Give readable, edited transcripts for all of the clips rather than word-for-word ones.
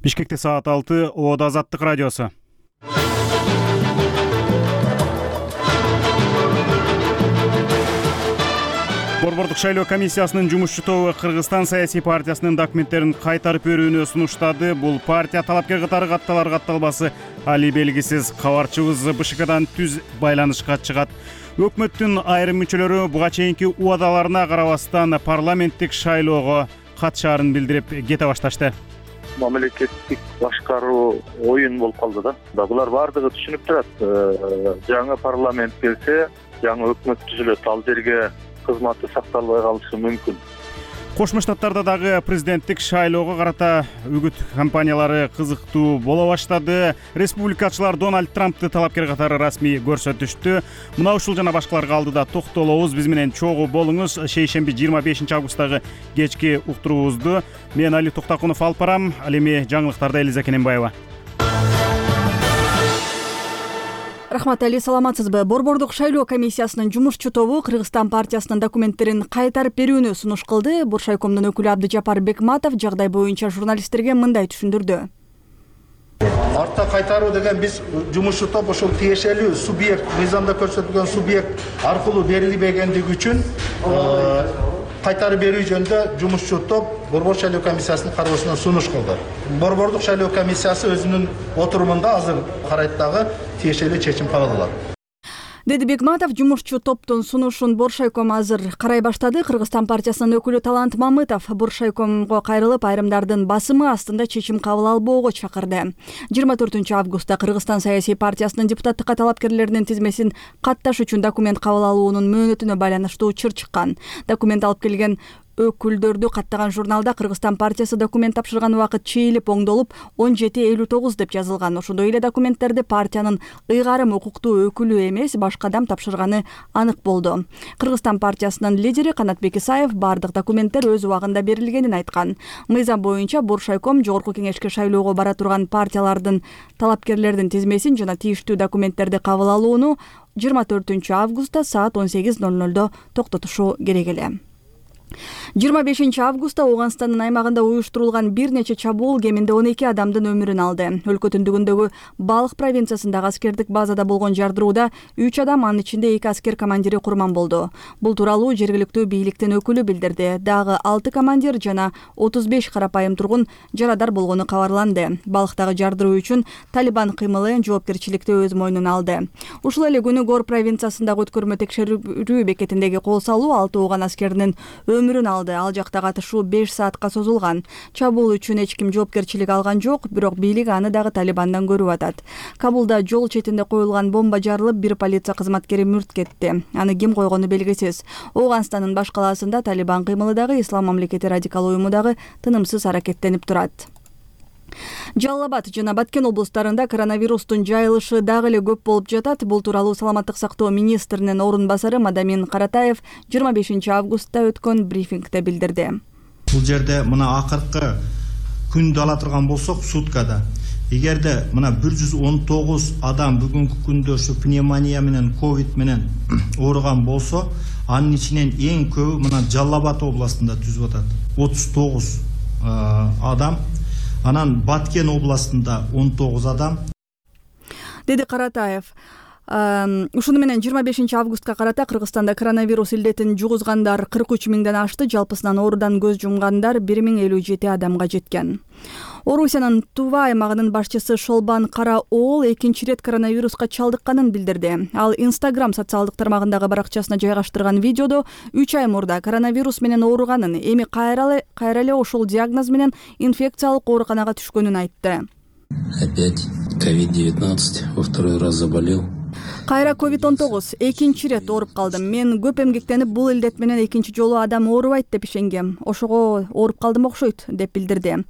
Бишкекте саат 6, Оодо Азаттык радиосу. Борбордук шайлоо комиссиясынын жумушчу тобу Кыргызстан саясий партиясынын документтерин кайтарып берүүнү сунуштады. Бул партия талапкер катары катталар-катталбасы али белгисиз. Кабарчыбыз БШКдан түз байланышка чыгат. Өкмөттүн айрым мүчөлөрү буга чейинки убадаларына карабастан парламенттик шайлоого катышаарын билдирип кете башташты. Мамлекеттик башкаруу оюн болуп калды да. Булар бардыгы түшүнүп турат. Жаңы парламент келсе, жаңы өкмөт түзүлөт. Ал жерге кызматы сакталбай калышы мүмкүн. Кошмо Штаттарда дагы президенттик шайлоого карата үгүт кампаниялары кызыктуу боло баштады. Республикачылар Дональд Трампты талапкер катары расмий көрсөтүштү. Мына ушул жана башкаларга алдыда токтолобуз. Биз менен чогуу болуңуз. Шейшемби 25 августтагы кечки уктуруубузду мен Али Токтакунов алып барам. Ал эми жаңылыктарда Элиза Кененбаева. Рахмат Али, саламатсызбы? Борбордук шайлоо комиссиясынын жумушчу тобу Кыргызстан партиясынын документтерин кайтарып берүүнү сунуш кылды. Буршайкомдун өкүлү Абдыжапар Бекматов жагдай боюнча журналисттерге мындай түшүндүрдү. Артта кайтаруу деген биз жумушчу топ ошол тиешелүү субъект, мыйзамда көрсөтүлгөн субъект аркылуу берилбегендиги үчүн кайтарып берүү жөнүндө жумушчу топ Борбордук шайлоо комиссиясынын кароосуна сунуш кылды. Борбордук шайлоо комиссиясы өзүнүн отурумунда азыр карайт дагы тиешелүү чечим кабыл алат, деди Бекматов. Жумушчу топтун сунушун Боршайком азыр карай баштады. Кыргызстан партиясынын өкүлү Талант Мамытов Боршайкомго кайрылып, айрымдардын басымы астында чечим кабыл албоого чакырды. 24 августта Кыргызстан саясий партиясынын депутаттыкка талапкерлеринин тизмесин катташ үчүн документ кабыл алуунун мөөнөтүнө байланыштуу чыр чыккан. Документ алып келген өкүлдөрдү каттаган журналда Кыргызстан партиясы документ тапшырган убакыт чейилип оңдолуп 17:59 деп жазылган. Ошондой эле документтерди партиянын ыйгарым укуктуу өкүлү эмес, башка адам тапшырганы анык болду. Кыргызстан партиясынын лидери Канатбек Исаев бардык документтер өз убагында берилгенин айткан. Мыйзам боюнча Боршайком Жогорку кеңешке шайлоого бара турган партиялардын талапкерлердин тизмесин жана тийиштүү документтерди кабыл алууну 24 августта саат 18:00 токтотушу керек эле. 25 августта Ооганстандын аймагында уюштурулган бир нече чабуул кеминде 12 адамдын өмүрүн алды. Өлкө түндүгүндөгү Балык провинциясындагы аскердик базада болгон жардырууда 3 адам, анын ичинде 2 аскер командири курман болду. Бул тууралуу жергиликтүү бийликтин өкүлү билдирди. Дагы 6 командир жана 35 карапайым тургун жарадар болгону кабарланды. Балыктагы жардыруу үчүн Талибан кыймылы жоопкерчиликти өз мойнуна алды. Ушул эле күнү Гор провинциясындагы өткөрмө текшерүү бекетиндеги кол салуу 6 ооган аскеринин өмүрүн алды. Ал жакта катышуу 5 саатка созулган. Чабуул үчүн эч ким жоопкерчилик алган жок, бирок бийлик аны дагы Талибандан көрүп атат. Кабулда жол четинде коюлган бомба жарылып, бир полиция кызматкери мүрт кетти. Аны ким койгону белгисиз. Ооганстандын баш калаасында Талибан кыймылы дагы, Ислам мамлекети радикал уюму дагы тынымсыз аракеттенип турат. Жалал Абад жана Баткен облустарында коронавирустун жайылышы дагы эле көп болуп жатат. Бул тууралуу саламаттык сактоо министринин орун басары Мадамин Каратаев 25 августта өткөн брифингде билдирди. Бул жерде мына акыркы күндү ала турган болсок, суткада эгерде мына 119 адам бүгүнкү күндө ушу пневмония менен ковид менен ооруган болсо, анын ичинен эң көбү мына Жалал Абад областында түзүп атат. 39 адам. Анан Баткен областында 19 адам, деди Каратаев. Ушуну менен 25 августка карата Кыргызстанда коронавирус илдетин жугузгандар 43 миңден ашты, жалпысынан оорудан көз жумгандар 1057 адамга жеткен. Орусиянын Тува аймагынын башчысы Шолбан Караоол экинчи рет коронавируска чалдыкканын билдирди. Ал Instagram социалдык тармагындагы баракчасына жайгаштырган видеодо 3 ай мурда коронавирус менен ооруганын, эми кайра эле ошол диагноз менен инфекциялык ооруканага түшкөнүн айтты. Опять COVID-19, во второй раз заболел. Кайра COVID-19 экинчи рет ооруп калдым. Мен көп эмгектенип бул илдет менен экинчи жолу адам оорубайт деп ишенгем. Ошого ооруп калдым окшойт деп билдирди.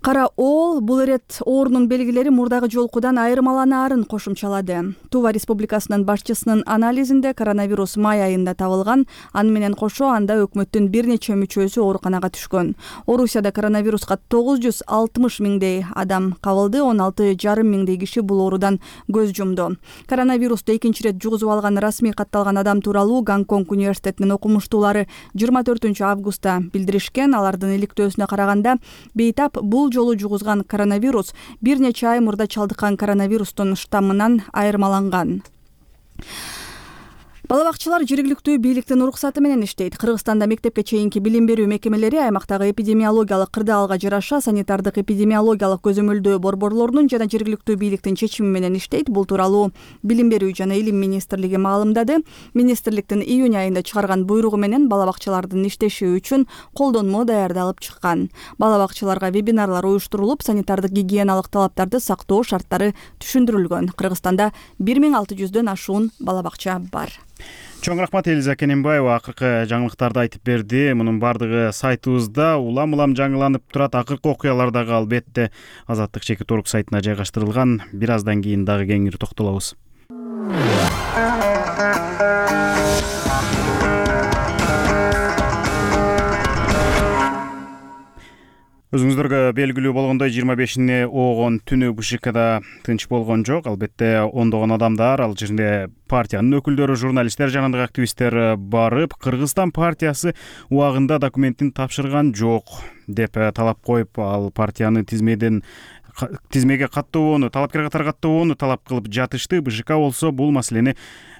Караоол бул ирет оорунун белгилери мурдагы жолкудан айырмаланаарын кошумчалады. Тува республикасынын башчысынын анализинде коронавирус май айында табылган, аны менен кошо анда өкмөттүн бир нече мүчөсү ооруканага түшкөн. Орусияда коронавируска 960 миңдей адам кабылды, 16,5 миңдей киши бул оорудан көз жумду. Коронавирусту экинчи рет жугузуп алган расмий катталган адам тууралуу Гонконг университетинин окумуштуулары 24 августта билдиришкен. Алардын иликтөөсүнө караганда бейтап бул бул жолу жугузган коронавирус бир нече ай мурда чалдыккан коронавирустун штаммынан айырмаланган. Бала бакчалар жергиликтүү бийликтин уруксаты менен иштейт. Кыргызстанда мектепке чейинки билим берүү мекемелери аймактагы эпидемиологиялык кырдаалга жараша санитардык эпидемиологиялык көзөмөлдөө борборлорунун жана жергиликтүү бийликтин чечими менен иштейт. Бул тууралуу Билим берүү жана Илим министрлиги маалымдады. Министрликтин июнь айында чыгарган буйругу менен бала бакчалардын иштеши үчүн колдонмо даярдалып чыккан. Бала бакчаларга вебинарлар уюштурулуп, санитардык гигиеналык талаптарды сактоо шарттары түшүндүрүлгөн. Кыргызстанда 1600дөн ашуун бала бакча бар. Чоң рахмат Элиза Кененбаева акыркы жаңылыктарды айтып берди. Мунун бардыгы сайтыбызда улам жаңыланып турат. Акыркы окуялар дагы албетте Азаттык чекит орг сайтына жайгаштырылган. Бир аздан кийин дагы кеңири токтолобуз. Өзүңүздөргө белгилүү болгондой 25-ине оогон түнү БШКда тынч болгон жок. Албетте ондогон адамдар, ал жерде партиянын өкүлдөрү, журналисттер, жанындагы активисттер барып, Кыргызстан партиясы убагында документин тапшырган жок деп талап коюп, ал партиянын тизмеге каттообоону, талапкер катары каттообоону талап кылып жатышты. БШК болсо бул маселени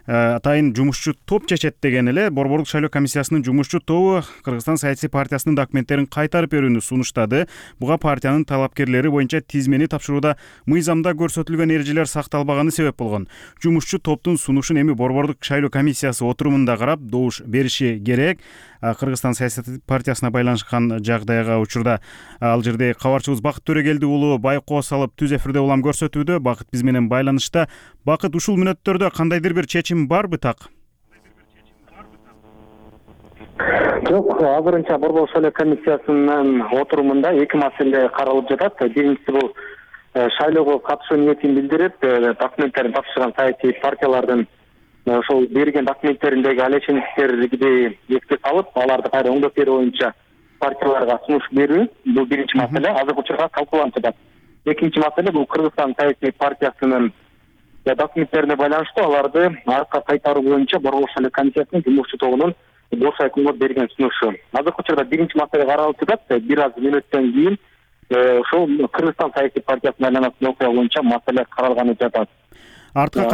атайын жумушчу топ чечет деген эле. Борборлук шайлоо комиссиясынын жумушчу тобу Кыргызстан саясий партиясынын документтерин кайтарып берүүнү сунуштады. Буга партиянын талапкерлери боюнча тизмени тапшырууда мыйзамда көрсөтүлгөн эрежелер сакталбаганы себеп болгон. Жумушчу топтун сунушун эми борборлук шайлоо комиссиясы отурумунда карап добуш бериши керек. Кыргызстан саясий партиясына байланышкан жагдайга учурда ал жерде кабарчыбыз Бакыт Төрөгелди уулу байкоо салып түз эфирде улам көрсөтүүдө. Бакыт биз менен байланышта. Бакыт, ушул мүнөттөрдө кандайдыр бир чечим барбы так? Жок, азырынча борборлук шайлоо комиссиясынын отурумунда эки маселе каралып жатат. Биринчиси бул шайлоого катышуу ниетин билдирип, документтерин тапшырган саясий партиялардын ошол берген документтериндеги алеченикттерди эске салып, аларды кайра оңдоп берүү боюнча партияларга сунуш берүү. Бул биринчи маселе, азыркы учурда талкууланып жатат. Экинчи маселе бул Кыргызстан саясий партиясынын документтерине байланыштуу аларды аркка кайтаруу боюнча борборлук шайлоо комиссиясынын жумушчу тобунун Боршайкомго берген сунушу. Азыркы учурда биринчи маселе каралып жатат. Бир аз мүнөттөн кийин ошол Кыргызстан саясий партиясына айланатын окуя боюнча маселе каралганы жатат. Артка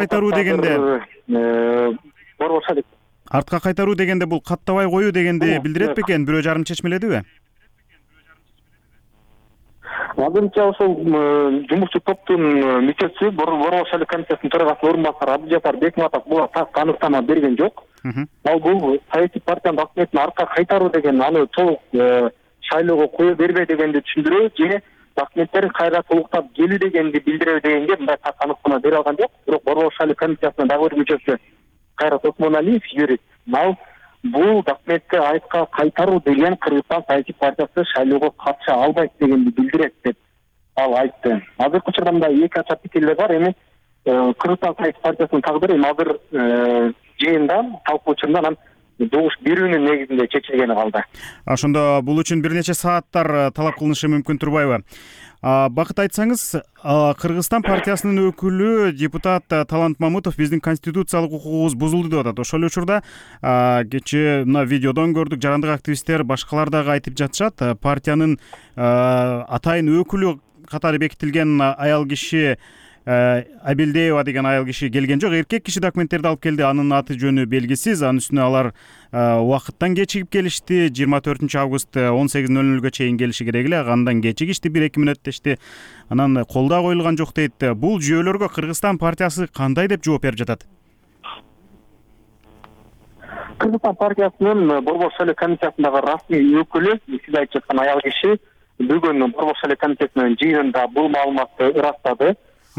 кайтаруу дегенде бул каттабай коюу дегенди билдирет бекен? Бирөө жарым чечмеледиби? Азырынча ошол жумушчу топтун мүчөсү борборлук шайлоо комиссиясынын төрагасынын орун басары Абдыжапар Бекматов буга так аныктама берген жок. Ал бул саясий партиянын документин аркка кайтаруу деген аны толук шайлоого кое бербей дегенди түшүндүрүү же документтерин кайра толуктап келүү дегенди билдирүү дегенге мындай так аныктама бере алган жок. Бирок борборлук шайлоо комиссиясынын дагы бир мүчөсү Кайрат Осмоналиев, юрист, ал бул документти айткка кайтаруу деген Кыргызстан саясий партиясы шайлоого катыша албайт дегенди билдирет деп ал айтты. Азыркы учурда мындай эки ача пикирлер бар. Эми Кыргызстан саясий партиясынын тагдыры эми азыр жыйында талкуу учурунда анан добуш берүүнүн негизинде чечилгени калды. Ошондо бул үчүн бир нече сааттар талап кылынышы мүмкүн турбайбы? Бакыт, айтсаңыз, Кыргызстан партиясынын өкүлү депутат Талант Мамытов биздин конституциялык укугубуз бузулду деп атат. Ошол учурда кечээ мына видеодон көрдүк, жарандык активисттер, башкалар дагы айтып жатышат. Партиянын атайын өкүлү катары бекитилген аял киши Абилдеева деген аял киши келген жок. Эркек киши документтерди алып келди. Анын аты жөнү белгисиз. Анын үстүнө алар убакыттан кечигип келишти. 24 август 18:00 чейин келиши керек эле. Андан кечигишти, 1-2 мүнөт дешти. Анан кол да коюлган жок дейт. Бул жүйөлөргө Кыргызстан партиясы кандай деп жооп берип жатат? Кыргызстан партиясынын борборлук шайлоо комиссиясындагы расмий өкүлү, сиз айтып жаткан аял киши бүгүн борборлук шайлоо комиссиясынын жыйынында бул маалыматты ырастады.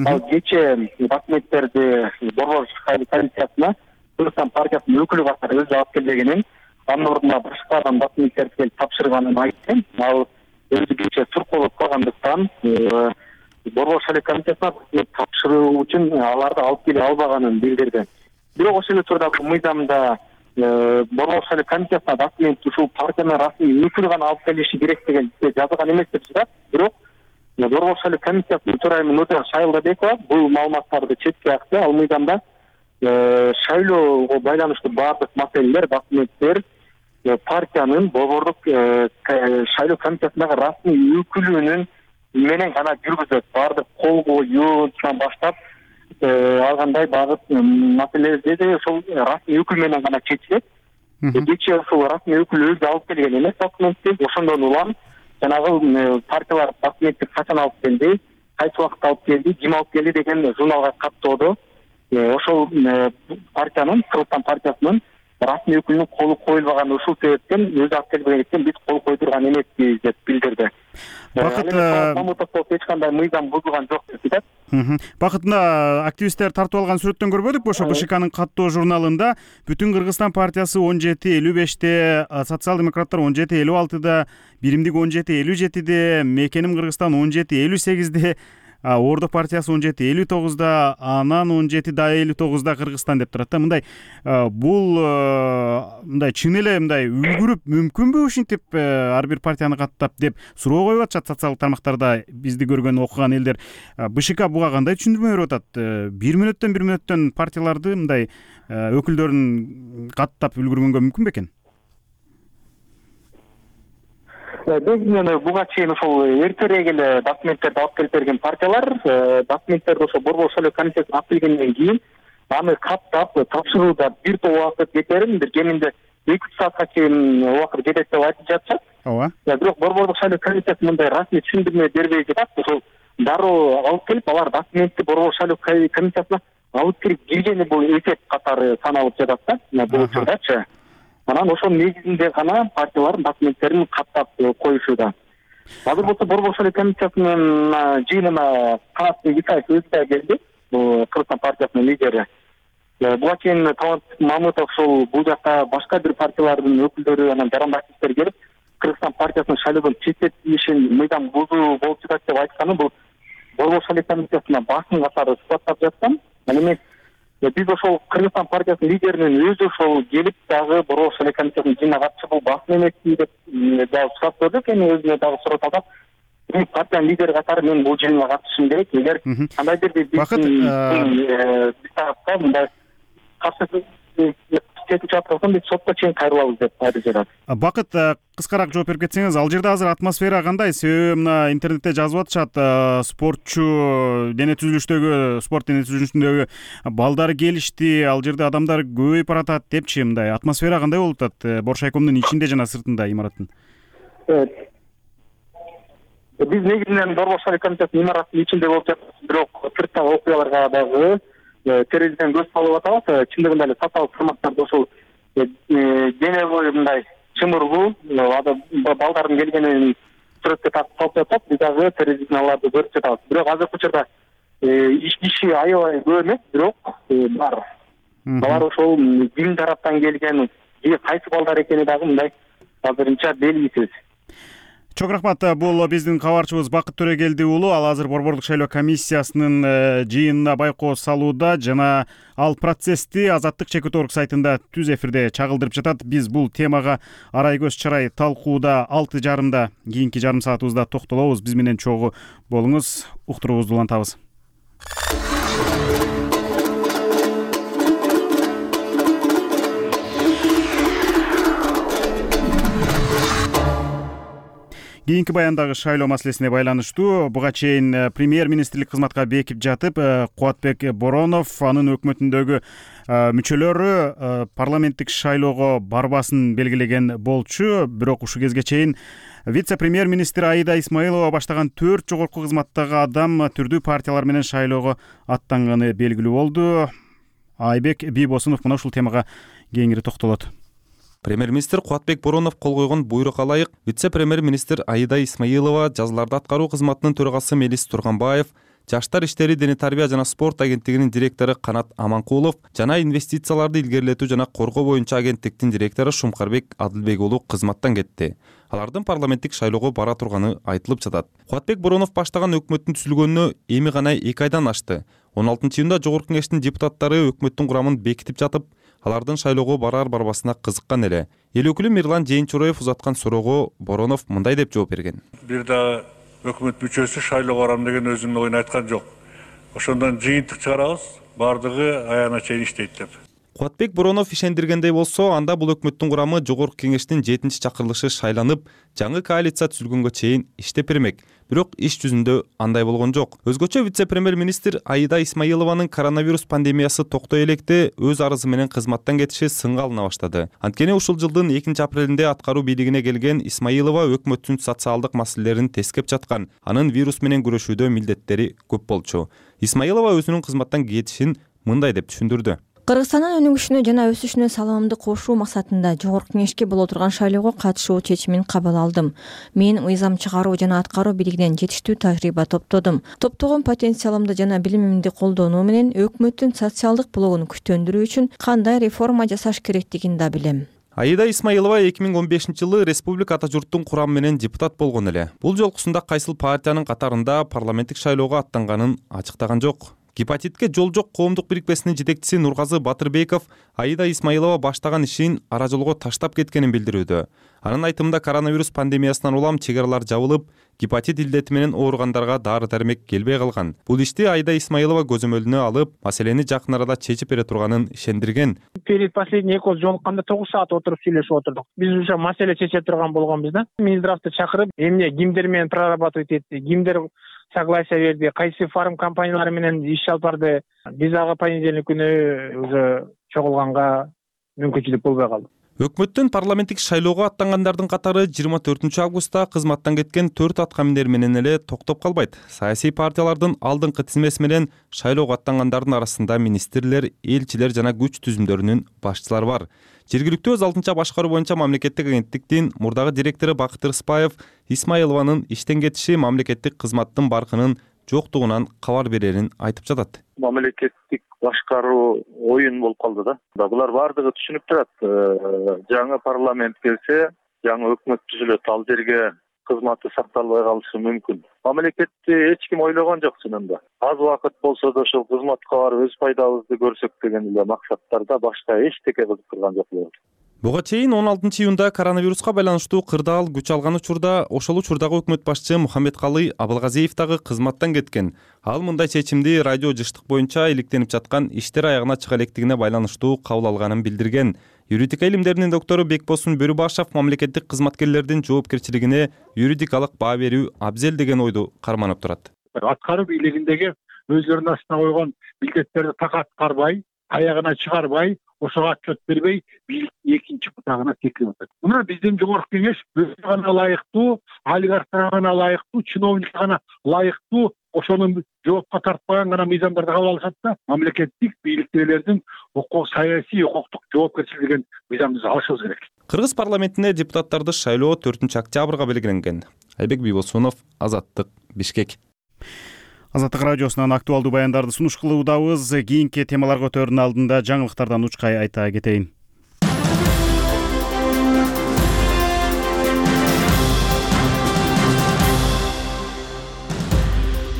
Ал кечээ документтерди борборлук шайлоо комиссиясына Кыргызстан партиясынын өкүлү катары өзү алып келбегенин, анын ордуна башка адам документтерди келип тапшырганын айтты. Ал өзү кечээ сур болуп калгандыктан борборлук шайлоо комиссиясына тапшыруу үчүн аларды алып келе албаганын билдирди. Бирок ошол учурда мыйзамда борборлук шайлоо комиссиясына документ ушул партиянын расмий өкүлү гана алып келиши керек деген жазылган эмес деп жатат. Бирок борборлук шайлоо комиссиясынын төрайымы Нурден Шайлдабекова бул маалыматтарды четке акты. Ал мыйзамда шайлоого байланыштуу баардык маселелер, документтер партиянын борборлук шайлоо комиссиясындагы расмий өкүлүнүн менен гана жүргүзөт. Баардык кол коюудан баштап алгандай багыт маселелерди ошол расмий өкүл менен гана чечилет. Кечээ ошол расмий өкүл өзү алып келген эмес документти. Ошондон улам жанагы партиялар документти качан алып келди, кайсы убакытта алып келди, ким алып келди деген журналга каттоодо ошол партиянын, Кыргызстан партиясынын расмий өкүлүнүн колу коюлбаган, ушул себептен өзү алып келбегендиктен биз кол кое турган эмеспиз деп билдирди. Бакыт Мамытов эч кандай мыйзам бузулган жок деп айтат. Бакыт, мына активисттер тартып алган сүрөттөн көрбөдүкпү? Ошо БШКнын каттоо журналында Бүтүн Кыргызстан партиясы 17-55-те, социал-демократтар 17-56-да, Биримдик 17-57-де, Мекеним Кыргызстан 17-58-де, Ордо партиясы 17-59-да, анан 17-59-да Кыргызстан деп турат да. Мындай бул мындай чын эле мындай үлгүрүп мүмкүнбү ушинтип ар бир партияны каттап деп суроо коюп атышат социалдык тармактарда бизди көргөн окуган элдер. БШК буга кандай түшүндүрмө берип атат? Бир мүнөттөн партияларды мындай өкүлдөрүн каттап үлгүргөнгө мүмкүн бекен? Негизинен буга чейин ошол эртерээк эле документтерди алып келип берген партиялар документтерди ошо Борбор шайлоо комитетине алып келгенден кийин аны каттап тапшырууда бир топ убакыт кетерин, бир кеминде 2 саатка чейин убакыт кетет деп айтып жатышат. Ооба. Бирок Борбордук шайлоо комитети мындай расмий түшүндүрмө бербей жатат. Ошол дароо алып келип, алар документти Борбор шайлоо комитетине алып кирип киргени бул эсеп катары саналып жатат да, бул учурдачы. Анан ошонун негизинде гана партиялар документтерин каттап коюшууда. Азыр болсо Борбор шайлоо комитетинин жыйынына Канат Исаев өзү да келди, Кыргызстан партиясынын лидери. Буга чейин Талант Мамытов ошол бул жакта башка бир партиялардын өкүлдөрү, анан жарандаш иштер келип, Кыргызстан партиясынын шайлоодон четтетилишин мыйзам бузуу болуп жатат деп айтканы бул Борбор шайлоо комитетине басым катары сыпаттап жаткан. Ал эми биз ошол Кыргызстан партиясынын лидеринин өзү ошол келип дагы Борбор шайлоо комитетинин жыйынына катышып бул басым эмеспи деп дагы сурап көрдүк. Эми өзүнө дагы сурап атат. Партиянын лидери катары мен бул жыйынга катышышым керек. Эгер кандайдыр бир биз тарапка мындай каршы кетип жаткан биз сотко чейин кайрылабыз деп айтып жатат. Бакыт, кыскараак жооп берип кетсеңиз, ал жерде азыр атмосфера кандай? Себеби мына интернетте жазып атышат, спортчу дене түзүлүшүндөгү балдар келишти, ал жерде адамдар көбөйүп баратат депчи. Мындай атмосфера кандай болуп атат Боршайкомдун ичинде жана сыртында имараттын? Биз негизинен Борбор шайлоо комитетинин имараттын ичинде болуп жатабыз, бирок сырттагы окуяларга дагы терезеден көз салып атабыз. Чындыгында эле социалдык тармактарда ошол дене бою мындай чымырлуу балдардын келгенин сүрөткө тартып салып жатат. Биз дагы терезеден аларды көрүп жатабыз. Бирок азыркы учурда киши аябай көп эмес, бирок бар. Алар ошол ким тараптан келген, кайсы балдар экени дагы мындай азырынча белгисиз. Чоң рахмат. Бул биздин кабарчыбыз Бакыт Төрөгелди уулу. Ал азыр Борбордук шайлоо комиссиясынын жыйынына байкоо салууда жана ал процессти Азаттык Чекит орг сайтында түз эфирде чагылдырып жатат. Биз бул темага арай көз чарай талкууда 6:30 кийинки жарым саатыбызда токтолобуз. Биз менен чогуу болуңуз. Уктуруубузду улантабыз. Кийинки баяндагы шайлоо маселесине байланыштуу буга чейин премьер-министрлик кызматка бекип жатып, Кубатбек Боронов анын өкмөтүндөгү мүчөлөрү парламенттик шайлоого барбасын белгилеген болчу. Бирок ушул кезге чейин вице-премьер-министр Аида Исмаилова баштаган 4 жогорку кызматтагы адам түрдүү партиялар менен шайлоого аттанганы белгилүү болду. Айбек Бийбосунов мына ушул темага кеңири токтолот. Премьер-министр Кубатбек Боронов кол койгон буйрукка ылайык вице-премьер-министр Аида Исмаилова, жазыларды аткаруу кызматынын төрагасы Мелис Турганбаев, Жаштар иштери, дене тарбия жана спорт агенттигинин директору Канат Аманкулов жана инвестицияларды илгерилетүү жана коргоо боюнча агенттиктин директору Шумкарбек Адылбек уулу кызматтан кетти. Алардын парламенттик шайлоого бара турганы айтылып жатат. Кубатбек Боронов баштаган өкмөттүн түзүлгөнүнө эми гана 2 айдан ашты. 16-июнда Жогорку Кеңештин депутаттары өкмөттүн курамын бекитип жатып, алардын шайлоого барар-барбасына кызыккан эле. Эл өкүлү Мирлан Жээнчуроев узаткан суроого Боронов мындай деп жооп берген. Бир да өкмөт мүчөсү шайлоого барам деген өзүнүн оюн айткан жок. Ошондон жыйынтык чыгарабыз, бардыгы аягына чейин иштейт деп. Кубатбек Боронов ишендиргендей болсо, анда бул өкмөттүн курамы Жогорку Кеңештин 7-чакырылышы шайланып, жаңы коалиция түзүлгөнгө чейин иштеп бермек. бирок иш жүзүндө андай болгон жок. Өзгөчө вице-премьер-министр Аида Исмаилованын коронавирус пандемиясы токтой электе өз арызы менен кызматтан кетиши сынга алына баштады. Анткени ушул жылдын 2-апрелинде аткаруу бийлигине келген Исмаилова өкмөттүн социалдык маселелерин тескеп жаткан. Анын вирус менен күрөшүүдө милдеттери көп болчу. Исмаилова өзүнүн кызматтан кетишин мындай деп түшүндүрдү. Кыргызстандын өнүгүшүнө жана өсүшүнө салымымды кошуу максатында жогорку кеңешке боло турган шайлоого катышуу чечимин кабыл алдым. Мен мыйзам чыгаруу жана аткаруу бийлигинен жетиштүү тажрыйба топтодум. Топтогон потенциалымды жана билимимди колдонуу менен өкмөттүн социалдык блогун күчтөндүрүү үчүн кандай реформа жасаш керектигин да билем. Аида Исмаилова 2015-жылы республика ата журттун курамы менен депутат болгон эле. Бул жолкусунда кайсыл партиянын катарында парламенттик шайлоого аттанганын ачыктаган жок. Гепатитке жол жок коомдук бирикмесинин жетекчиси Нургазы Батырбеков Аида Исмаилова баштаган ишин ара жолго таштап кеткенин билдирүүдө. Анын айтымында коронавирус пандемиясынан улам чек аралар жабылып, гепатит илдети менен ооругандарга дары-дармек келбей калган. Бул ишти Аида Исмаилова көзөмөлүнө алып, маселени жакын арада чечип бере турганын ишендирген. Перед последний экөөбүз жолукканда 9 саат отуруп сүйлөшүп отурдук. Биз уже маселе чече турган болгонбуз да. Минздравды чакырып, эмне кимдер менен прорабатывать этти, кимдер согласие берди, кайсы фарм компаниялары менен иш алып барды. Биз ага понедельник күнү уже чогулганга мүмкүнчүлүк болбой калды. Өкмөттүн парламенттик шайлоого аттангандардын катары 24-августта кызматтан кеткен 4 аткаминер менен эле токтоп калбайт. Саясий партиялардын алдыңкы тизмеси менен шайлоого аттангандардын арасында министрлер, элчилер жана күч түзүмдөрүнүн башчылары бар. Жергиликтүү өз алдынча башкаруу боюнча мамлекеттик агенттиктин мурдагы директору Бакыт Рыспаев Исмаилованын иштен кетиши мамлекеттик кызматтын баркынын жоктугунан кабар берерин айтып жатат. Мамлекеттик башкаруу оюн болуп калды да. Булар бардыгы түшүнүп турат. Жаңы парламент келсе, жаңы өкмөт түзүлөт, ал жерге кызматы сакталбай калышы мүмкүн. Мамлекетти эч ким ойлогон жок чынында. Аз убакыт болсо да ошол кызматка барып өз пайдабызды көрсөк деген эле максаттарда башка эчтеке кызыктырган жок. Буга чейин 16-июнда коронавируска байланыштуу кырдаал күч алган учурда ошол учурдагы өкмөт башчы Мухаммедкалый Абылгазиев дагы кызматтан кеткен. Ал мындай чечимди радио жыштык боюнча иликтенип жаткан иштер аягына чыга электигине байланыштуу кабыл алганын билдирген. Юридика илимдеринин доктору Бекбосун Бөрүбашев мамлекеттик кызматкерлердин жоопкерчилигине юридикалык баа берүү абзел деген ойду карманып турат. Аткаруу бийлигиндеги өзлөрүнүн астына койгон милдеттерди так аткарбай, аягына чыгарбай, ошого отчет бербей, бийлик экинчи бутагына секирип атат. Мына биздин жогорку кеңеш өзүнө гана ылайыктуу, олигархтарга гана ылайыктуу, чиновникке гана ылайыктуу, ошону жоопко тартпаган гана мыйзамдарды кабыл алышат да, мамлекеттик бийликтегилердин саясий укуктук жоопкерчилик деген мыйзамды алышыбыз керек. Кыргыз парламентине депутаттарды шайлоо 4-октябрга белгиленген. Айбек Бийбосунов, Азаттык, Бишкек. Азаттык радиосунан актуалдуу баяндарды сунуш кылуудабыз. Кийинки темаларга өтөрүнүн алдында жаңылыктардан учкай айта кетейин.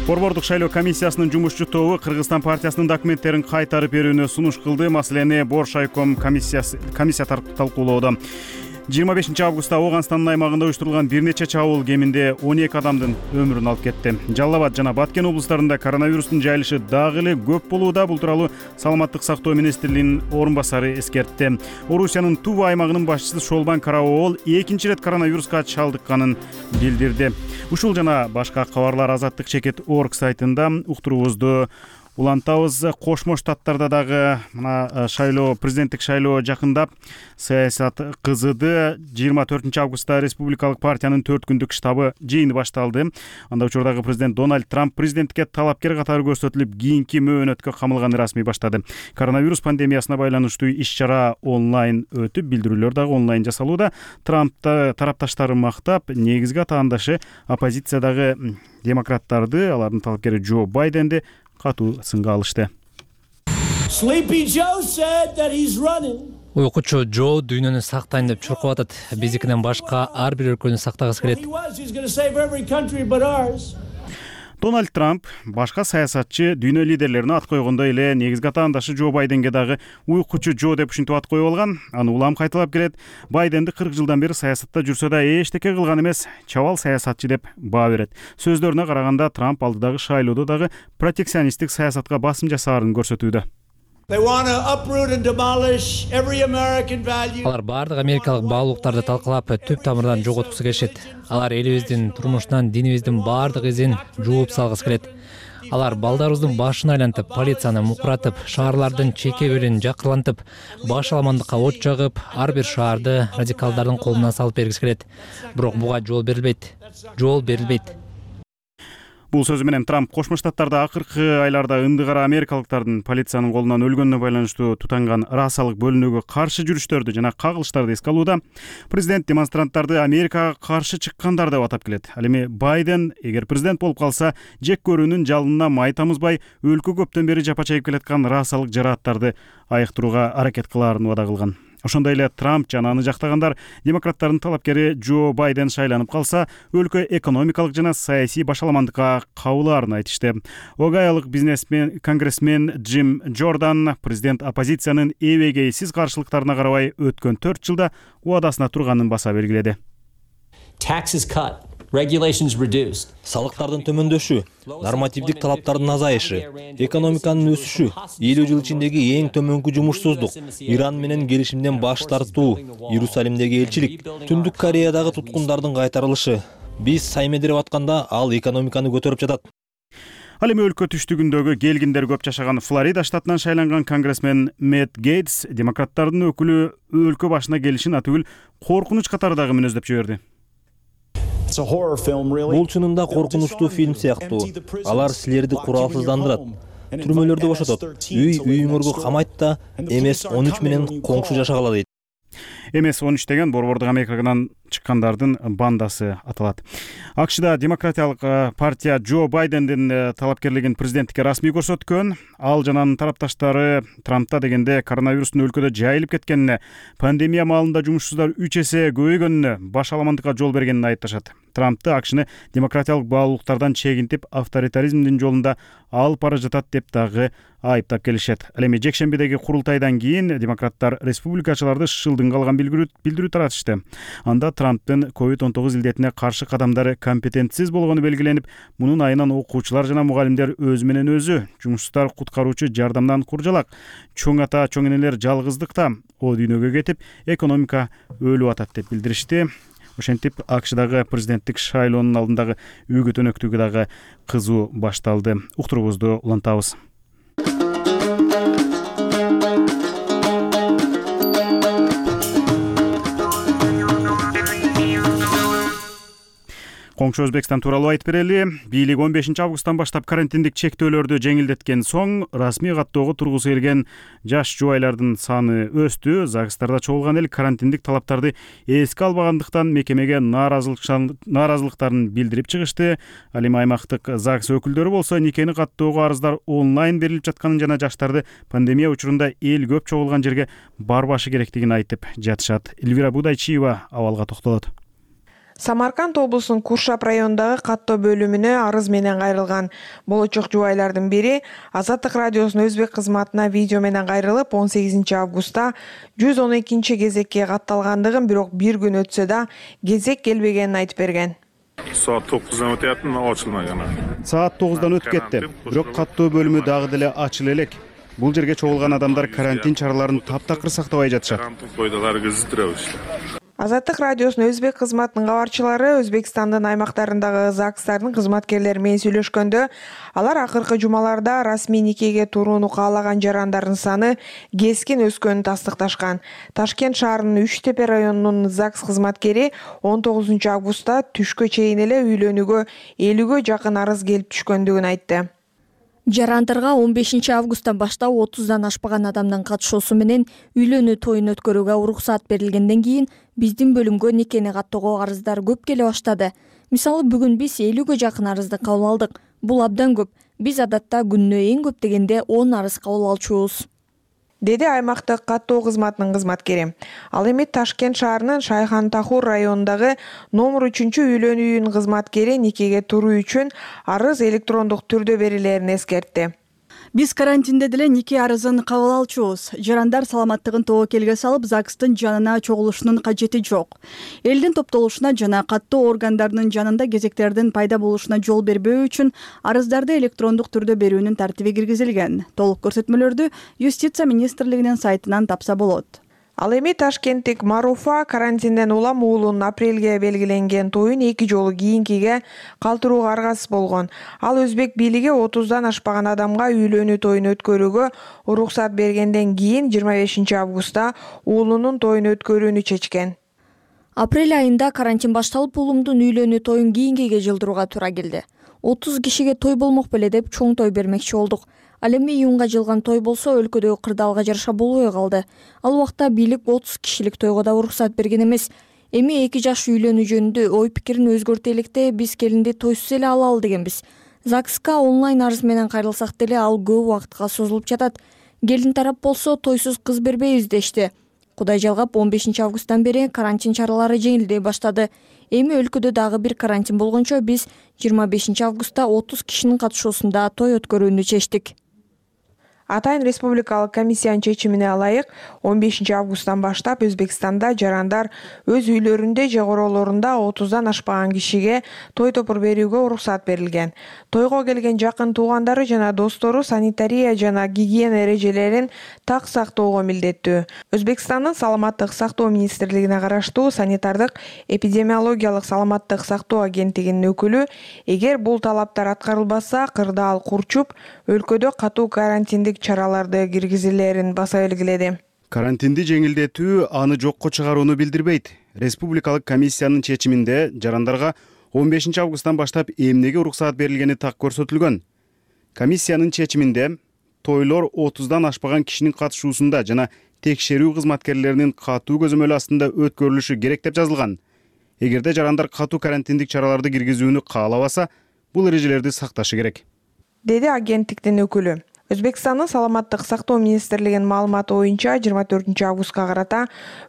Борбордук шайлоо комиссиясынын жумушчу тобу Кыргызстан партиясынын документтерин кайтарып берүүнү сунуш кылды. Маселени Боршайком комиссия талкуулоодо. 25 августта Оганстандын аймагында уюштурулган бир нече чабуул кеминде 12 адамдын өмүрүн алып кетти. Жалал Абад жана Баткен облустарында коронавирустун жайылышы дагы эле көп болууда. Бул тууралуу Саламаттык сактоо министрлигинин орун басары эскертти. Орусиянын Тува аймагынын башчысы Шолбан Караоол экинчи ирет коронавируска чалдыкканын билдирди. Ушул жана башка кабарлар Азаттык чекит орг сайтында уктуруубузду улантабыз. Кошмо Штаттарда дагы мына президенттик шайлоо жакындап, саясат кызыды. 24 августта республикалык партиянын 4 күндүк штабы жыйыны башталды. Анда учурдагы президент Дональд Трамп президенттикке талапкер катары көрсөтүлүп, кийинки мөөнөткө камылганы расмий баштады. Коронавирус пандемиясына байланыштуу иш-чара онлайн өтүп, билдирүүлөр дагы онлайн жасалууда. Трампты тарапташтары мактап, негизги атаандашы оппозициядагы демократтарды, алардын талапкери Джо Байденди катуу сынга алышты. Уйкучу Джо дүйнөнү сактайын деп чуркап атат. Биздикинен башка ар бир өлкөнү сактагысы келет. Дональд Трамп башка саясатчы дүйнө лидерлерине ат койгондой эле негизги атаандашы Джо Байденге дагы уйкучу Джо деп ушинтип ат коюп алган. Аны улам кайталап келет. Байденди 40 жылдан бери саясатта жүрсө да эчтеке кылган эмес, чабал саясатчы деп баа берет. Сөздөрүнө караганда Трамп алдыдагы шайлоодо дагы протекционисттик саясатка басым жасаарын көрсөтүүдө. Алар баардык америкалык баалуулуктарды талкалап, түп тамырдан жоготкусу келишет. Алар элибиздин турмушунан, динибиздин баардык изин жууп салгысы келет. Алар балдарыбыздын башын айлантып, полицияны мукуратып, шаарлардын чеке бөлүн жакырлантып, баш аламандыкка от жагып, ар бир шаарды радикалдардын колуна салып бергиси келет. Бирок буга жол берилбейт. Жол берилбейт. Бул сөзү менен Трамп Кошмо Штаттарда акыркы айларда ындыгара америкалыктардын полициянын колунан өлгөнүнө байланыштуу тутанган расалык бөлүнүүгө каршы жүрүштөрдү жана кагылыштарды эске алууда. Президент демонстранттарды Америкага каршы чыккандар деп атап келет. Ал эми Байден эгер президент болуп калса, жек көрүүнүн жалынына май тамызбай, өлкө көптөн бери жапа чегип келаткан расалык жарааттарды айыктырууга аракет кылаарын убада кылган. Ошондой эле Трамп жана аны жактагандар демократтардын талапкери Джо Байден шайланып калса, өлкө экономикалык жана саясий башаламандыкка кабылаарын айтышты. Огайолук бизнесмен, конгрессмен Джим Джордан президент оппозициянын эбегейсиз каршылыктарына карабай өткөн 4 жылда убадасына турганын баса белгиледи. Салыктардын төмөндөшү, нормативдик талаптардын азайышы, экономиканын өсүшү, 50 жыл ичиндеги эң төмөнкү жумушсуздук, Иран менен келишимден баш тартуу, Иерусалимдеги элчилик, Түндүк Кореядагы туткундардын кайтарылышы. Биз саймедирип атканда ал экономиканы көтөрүп жатат. Ал эми өлкө түштүгүндөгү келгиндер көп жашаган Флорида штатынан шайланган конгрессмен Мэтт Гейтс демократтардын өкүлү өлкө башына келишин атүгүл коркунуч катары дагы мүнөздөп жиберди. Бул чынында коркунучтуу фильм сыяктуу. Алар силерди куралсыздандырат, түрмөлөрдө бошотот, үйүңөргө камайт да, MS-13 менен коңшу жашагыла дейт. MS-13 деген борбордук Америкадан чыккандардын бандасы аталат. АКШда демократиялык партия Джо Байдендин талапкерлигин президенттикке расмий көрсөткөн. Ал жана анын тарапташтары Трампта дегенде коронавирустун өлкөдө жайылып кеткенине, пандемия маалында жумушсуздар 3 эсе көбөйгөнүнө, баш аламандыкка жол бергенин айыпташат. Трампты АКШны демократиялык баалуулуктардан чегинтип, авторитаризмдин жолунда алып бара жатат деп дагы айыптап келишет. Ал эми жекшембидеги курултайдан кийин демократтар республикачыларды шылдыңга алган билдирүү таратышты. Анда Трамптын COVID-19 илдетине каршы кадамдары компетентсиз болгону белгиленип, мунун айынан окуучулар жана мугалимдер өзү менен өзү, жумушсуздар куткаруучу жардамдан куржалак, чоң ата, чоң энелер жалгыздыкта, о дүйнөгө кетип, экономика өлүп атат деп билдиришти. Ошентип АКШдагы президенттик шайлоонун алдындагы үгүт өнөктүгү дагы кызуу башталды. Уктуруубузду улантабыз. Коңшу Өзбекстан тууралуу айтып берели. Бийлик 15 августтан баштап карантиндик чектөөлөрдү жеңилдеткен соң, расмий каттоого тургусу келген жаш жубайлардын саны өстү. ЗАГСтарда чогулган эл карантиндик талаптарды эске албагандыктан мекемеге нааразылыктарын билдирип чыгышты. Ал эми аймактык ЗАГС өкүлдөрү болсо никени каттоого арыздар онлайн берилип жатканын жана жаштарды пандемия учурунда эл көп чогулган жерге барбашы керектигин айтып жатышат. Элвира Будайчиева абалга токтолот. Самарканд облусунун Куршап районундагы каттоо бөлүмүнө арыз менен кайрылган болочок жубайлардын бири Азаттык радиосунун өзбек кызматына видео менен кайрылып, 18 августта 112 кезекке катталгандыгын, бирок бир күн өтсө да кезек келбегенин айтып берген. Saat 9'dan öteyaptı, açılmagan. Saat 9'dan өтүп кетти. Бирок каттоо бөлүмү дагы деле ачыла элек. Бул жерге чогулган адамдар карантин чараларын таптакыр сактабай жатышат. Азаттык радиосунун өзбек кызматынын кабарчылары Өзбекстандын аймактарындагы ЗАГСтардын кызматкерлери менен сүйлөшкөндө, алар акыркы жумаларда расмий никеге турууну каалаган жарандардын саны кескин өскөнүн тастыкташкан. Ташкент шаарынын Үч-Тепе районунун ЗАГС кызматкери 19 августта түшкө чейин эле үйлөнүүгө 50гө жакын арыз келип түшкөндүгүн айтты. Жарандарга 15 августтан баштап 30дан ашпаган адамдын катышуусу менен үйлөнүү тоюн өткөрүүгө уруксат берилгенден кийин биздин бөлүмгө никени каттоого арыздар көп келе баштады. Мисалы, бүгүн биз 50гө жакын арызды кабыл алдык. Бул абдан көп. Биз адатта күнүнө эң көп дегенде 10 арыз кабыл алчубуз, деди аймактык каттоо кызматынын кызматкери. Ал эми Ташкент шаарынын Шайхан-Тахур районундагы номер 3 үйлөнүү үйүнүн кызматкери никеге туруу үчүн арыз электрондук түрдө берилерин эскертти. Биз карантинде деле нике арызын кабыл алчубуз. Жарандар саламаттыгын тобокелге салып, ЗАГСтын жанына чогулушунун кажети жок. Элдин топтолушуна жана каттуу органдардын жанында кезектердин пайда болушуна жол бербөө үчүн арыздарды электрондук түрдө берүүнүн тартиби киргизилген. Толук көрсөтмөлөрдү Юстиция министрлигинин сайтынан тапса болот. Ал эми ташкенттик Маруфа карантинден улам уулунун апрелге белгиленген тоюн 2 жолу кийинкиге калтырууга аргасыз болгон. Ал өзбек бийлиги 30дан ашпаган адамга үйлөнүү тоюн өткөрүүгө уруксат бергенден кийин 25 августта уулунун тоюн өткөрүүнү чечкен. Апрель айында карантин башталып, уулумдун үйлөнүү тоюн кийинкиге жылдырууга туура келди. 30 кишиге той болмок беле деп чоң той бермекчи болдук. Ал эми июнга жылган той болсо өлкөдөгү кырдаалга жараша болбой калды. Ал убакта бийлик 30 кишилик тойго да уруксат берген эмес. Эми 2 жаш үйлөнүү жөнүндө ой пикирин өзгөртө электе биз келинди тойсуз эле алалы дегенбиз. ЗАГСка онлайн арыз менен кайрылсак деле ал көп убакытка созулуп жатат. Келин тарап болсо тойсуз кыз бербейбиз дешти. Кудай жалгап 15 августтан бери карантин чаралары жеңилдей баштады. Эми өлкөдө дагы бир карантин болгончо биз 25 августта 30 кишинин катышуусунда той өткөрүүнү чечтик. Атайын республикалык комиссиянын чечимине ылайык 15 августтан баштап Өзбекстанда жарандар өз үйлөрүндө же королорунда 30дан ашпаган кишиге той топур берүүгө уруксат берилген. Тойго келген жакын туугандары жана достору санитария жана гигиена эрежелерин так сактоого милдеттүү. Өзбекстандын саламаттык сактоо министрлигине караштуу санитардык эпидемиологиялык саламаттык сактоо агенттигинин өкүлү, эгер бул талаптар аткарылбаса, кырдаал курчуп, өлкөдө катуу карантиндик чараларды киргизилерин баса белгиледи. Карантинди жеңилдетүү аны жокко чыгарууну билдирбейт. Республикалык комиссиянын чечиминде жарандарга 15 августтан баштап эмнеге уруксаат берилгени так көрсөтүлгөн. Комиссиянын чечиминде тойлор 30дан ашпаган кишинин катышуусунда жана текшерүү кызматкерлеринин катуу көзөмөл астында өткөрүлүшү керек деп жазылган. Эгерде жарандар катуу карантиндик чараларды киргизүүнү каалабаса, бул эрежелерди сакташы керек, деди агенттиктин өкүлү. Өзбекстандын саламаттык сактоо министрлигинин маалыматы боюнча 24 августка карата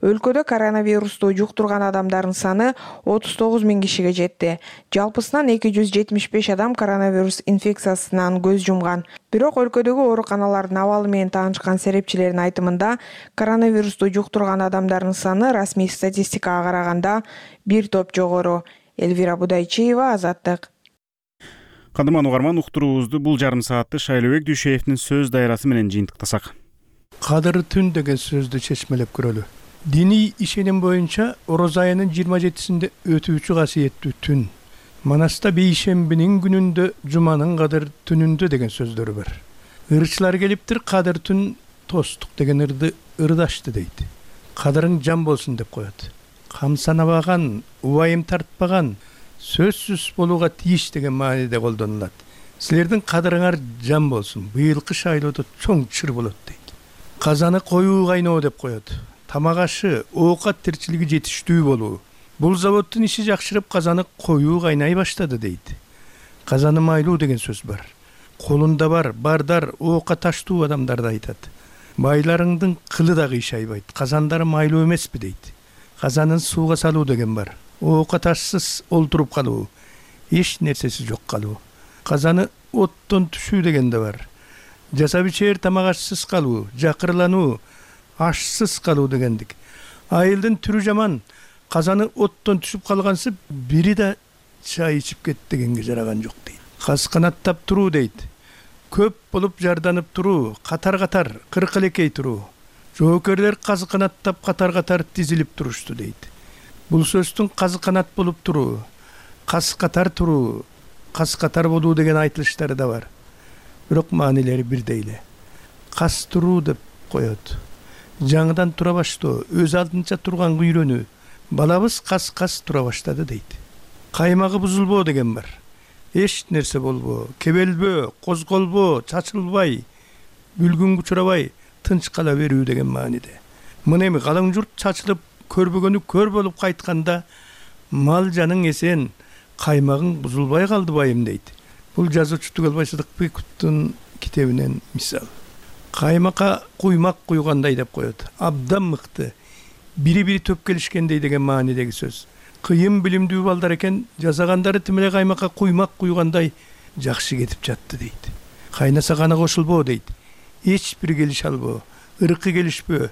өлкөдө коронавирусту жуктурган адамдардын саны 39 000 кишиге жетти. Жалпысынан 275 адам коронавирус инфекциясынан көз жумган. Бирок өлкөдөгү ооруканалардын абалы менен таанышкан серепчилердин айтымында коронавирусту жуктурган адамдардын саны расмий статистикага караганда бир топ жогору. Элвира Будайчиева, Азаттык. Кандыман угарман, уктуруубузду бул жарым саатты Шайлообек Дүйшеевдин сөз дайрасы менен жыйынтыктасак. Кадыр түн деген сөздү чечмелеп көрөлү. Диний ишеним боюнча Ороз айынын 27-синде өтүүчү касиеттүү түн. Манаста бейшембинин күнүндө, жуманын кадыр түнүндө деген сөздөрү бар. Ырчылар келиптир, кадыр түн тостук деген ырды ырдашты дейт. Кадырың жан болсун деп коет. Кам санабаган, убайым тартпаган, сөзсүз болууга тийиш деген мааниде колдонулат. Силердин кадырыңар жан болсун, быйылкы шайлоодо чоң чыр болот дейт. Казаны коюу кайноо деп коет. Тамак ашы, оокат тирчилиги жетиштүү болуу. Бул заводдун иши жакшырып, казаны коюу кайнай баштады дейт. Казаны майлуу деген сөз бар. Колунда бар, бардар, оока таштуу адамдарды айтат. Байларыңдын кылы да кыйшайбайт, казандары майлуу эмеспи дейт. Казанын сууга салуу деген бар. Оока ташсыз олтуруп калуу, эч нерсеси жок калуу. Казаны оттон түшүү деген да бар. Жасап ичер тамак ашсыз калуу, жакырлануу, ашсыз калуу дегендик. Айылдын түрү жаман, казаны оттон түшүп калгансып, бири да чай ичип кет дегенге жараган жок дейт. Каз канаттап туруу дейт. Көп болуп жарданып туруу, катар-катар, кыркылекей туруу. Жоокерлер каз канаттап катар-катар тизилип турушту дейт. Бул сөздүн казы канат болуп туруу, каз катар туруу, каз катар болуу деген айтылыштары да бар. Бирок маанилери бирдей эле. Каз туруу деп коет. Жаңыдан тура баштоо, өз алдынча турганга үйрөнүү. Балабыз каз тура баштады дейт. Каймагы бузулбоо деген бар. Эч нерсе болбоо, кебелбөө, козголбоо, чачылбай, бүлгүнгө учурабай, тынч кала берүү деген мааниде. Мына эми калың журт чачылып, көрбөгөнү көр болуп кайтканда, мал жаның эсен, каймагың бузулбай калды байым дейт. Бул жазуучу Түгөлбай Сыдыкбековдун китебинен мисал. Каймакка куймак куйгандай деп коет. Абдан мыкты, бири-бири төп келишкендей деген маанидеги сөз. Кыйын билимдүү балдар экен, жасагандары тим эле каймакка куймак куйгандай жакшы кетип жатты дейт. кайнаса гана кошулбоо дейт. Эч бир келише албоо, ыркы келишпөө,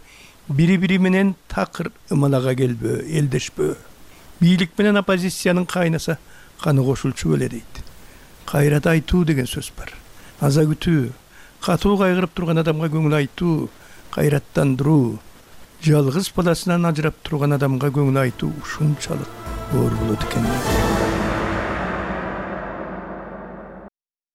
бири бири менен такыр ымалага келбөө, элдешпөө. Бийлик менен оппозициянын кайнаса каны кошулчу эле дейт. Кайрат айтуу деген сөз бар. Аза күтүү, катуу кайгырып турган адамга көңүл айтуу, кайраттандыруу, жалгыз баласынан ажырап турган адамга көңүл айтуу ушунчалык оор болот экен.